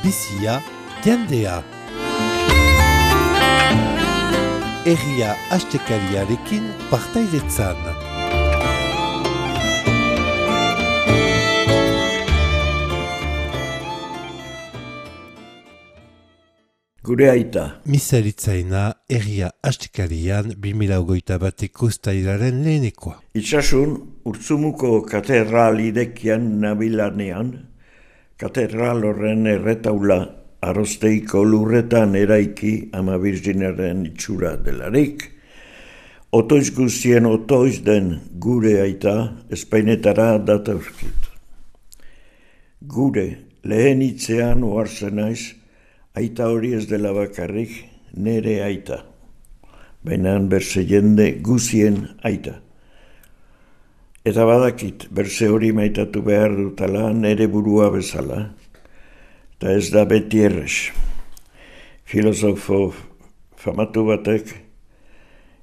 bizia, jendea. Herria astekariarekin partaidetzan. Gure aita. Misaritzaina herria astekarian 2021 uztailaren lehenekoa. Itxasun, Urtzumuko katedral idekian nabilanean, katedral horren erretaula Arosteiko lurretan eraiki Ama Birjinaren itxura delarik, otoiz guztien otoiz den gure aita Espainetara datauzkit. Gure lehen hitzean ohartzen naiz, aita hori ez dela bakarrik nere aita, baina berse jende guzien aita. Eta badakit, berse hori maitatu behar dutala nere burua bezala, eta ez da beti errez. Filosofo famatu batek,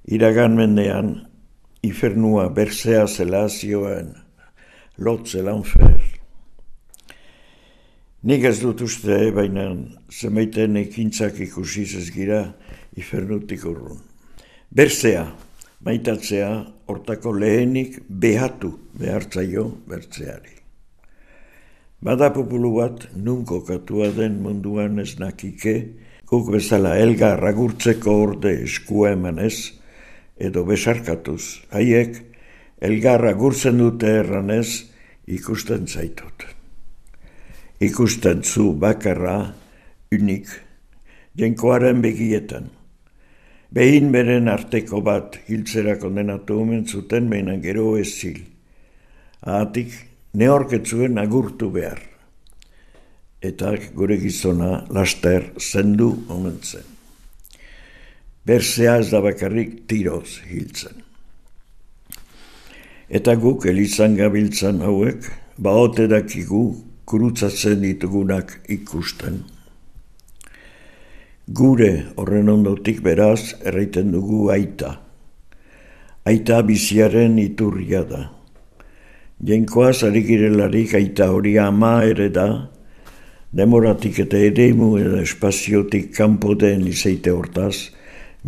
iragan mendean, infernua bersea zela zioen, lotze lanfer. Nik ez dut uste, baina zemeiten ekintzak ikusiz ez gira infernutik urrun. Bersea, maitatzea, hortako lehenik behatu behartzaio bertzeari. Bada populu bat, nun kokatua den munduan ez nakike, guk bezala elgar agurtzeko orde eskua emanez, edo besarkatuz, haiek elgar agurtzen dute erranez ikusten zaitut. Ikusten zu bakarra, unik, jenkoaren begietan. Behin beren arteko bat hiltzera kondenatu omen zuten behinan gero ez zil. Ahatik, neorketzuen agurtu behar. Eta gure gizona laster zendu omen zen. Bersea ez da bakarrik tiroz hiltzen. Eta guk elizan gabiltzan hauek, baote dakigu kurutzatzen ditugunak ikusten. Gure horren ondotik beraz erraiten dugu aita. Aita biziaren iturria da. Jainkoaz ari girelarik aita hori ama ere da, demoratik eta eremu eta espaziotik kanpo den izaite hortaz,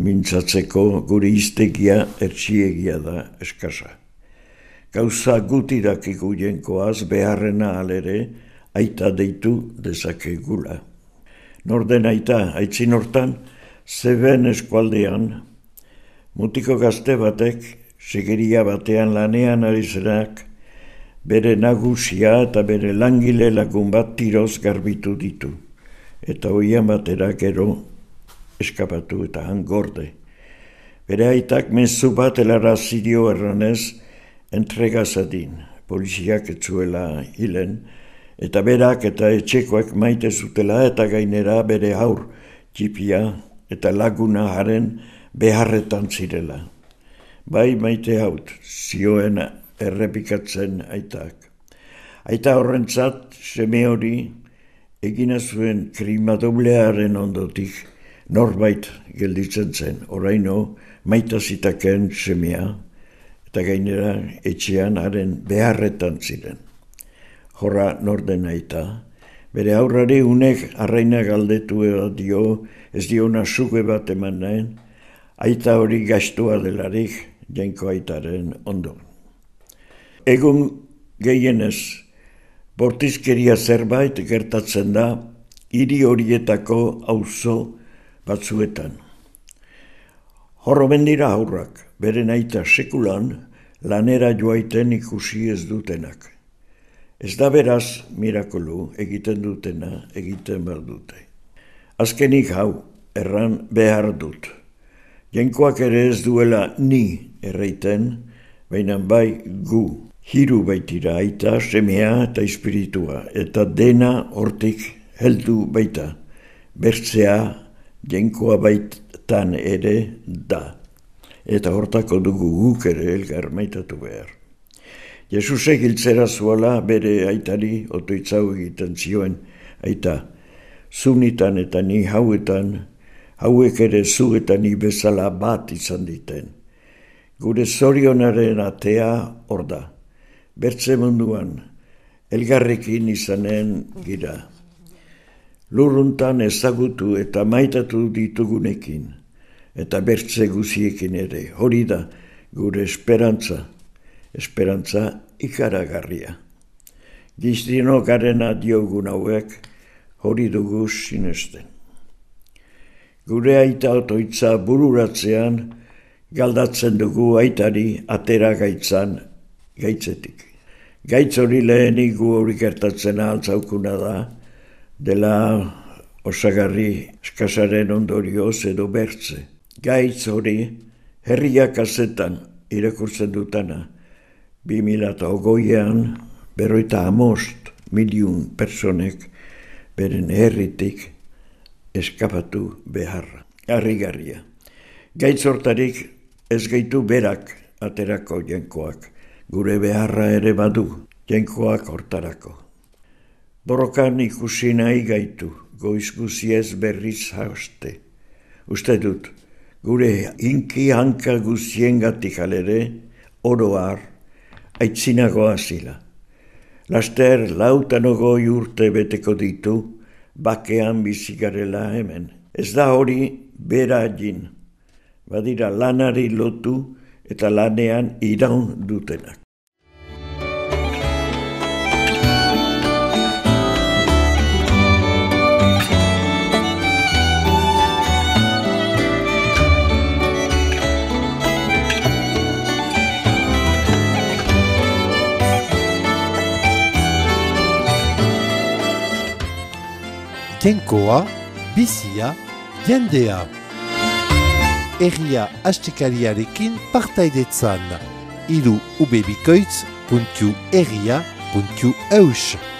mintzatzeko gure iztegia ertsiegia da eskasa. Gauza gutidakigu jainkoaz beharrena alere, aita deitu dezakegula. Norden aita, aitzin hortan, zeben eskualdean, mutiko gazte batek, segeria batean lanean ari zerak, bere nagusia eta bere langile lagun bat tiroz garbitu ditu, eta hoian batera gero eskapatu eta hangorde. Bere aitak mezu bat helarazi dio erranez, entregazadin, poliziak etzuela hilen, eta berak eta etxekoak maite zutela eta gainera bere haur txipia eta laguna haren beharretan zirela. Bai maite haut, zioen errepikatzen aitak. Aita horrentzat, seme hori, egina zuen krima doblearen ondotik, norbait gelditzen zen, oraino maita zitaken semea, eta gainera etxean haren beharretan ziren. Jorra norden aita, bere aurrari unek arraina galdetu dio, ez diona suge bat eman nahen, aita hori gastua delarik jainko aitaren ondo. Egun gehienez, bortizkeria zerbait gertatzen da, hiri horietako auzo batzuetan. Horro bendira aurrak, beren aita sekulan, lanera joaiten ikusi ez dutenak. Ez da beraz, mirakolu, egiten dutena, egiten behar dute. Azkenik hau, erran behar dut. Jainkoak ere ez duela ni erreiten, baina bai gu. Hiru baitira aita, semea eta espiritua, eta dena hortik heldu baita. Bertzea, jainkoa baitan ere da. Eta hortako dugu guk ere elgar maitatu behar. Jesusek hiltzera zuala bere aitari otoitzau egiten zioen, aita, zunitan eta ni hauetan, hauek ere zu eta ni bezala bat izan diten. Gure zorionaren atea hor da, bertze munduan, elgarrekin izanen gira. lurruntan ezagutu eta maitatu ditugunekin, eta bertze guziekin ere, hori da gure esperantza ikaragarria. Giztino garena diogun hauek, hori dugu sinesten. Gure aita otoitza bururatzean, galdatzen dugu aitari atera gaitzan gaitzetik. Gaitz hori lehenik gu hori gertatzen altzaukuna da, dela osagarri eskasaren ondorioz edo bertze. Gaitz hori herriak azetan irakurtzen dutana, 2008an 55 milion personek beren herritik eskapatu beharra. Harrigarria. Gaitz hortarik ez gaitu berak aterako jenkoak, gure beharra ere badu jenkoak hortarako. Borrokan ikusi nahi gaitu, goiz guziez berriz hauste. Uste dut, gure inki hanka guziengatik alere, oroar, aitzinagoa zila. Laster 50 urte beteko ditu, bakean bizigarela hemen. Ez da hori bera egin, badira lanari lotu eta lanean iraun dutenak. Jenkoa, bizia, jendea. Herria astekariarekin partaidetzan. Ubebikoitz.herria.eus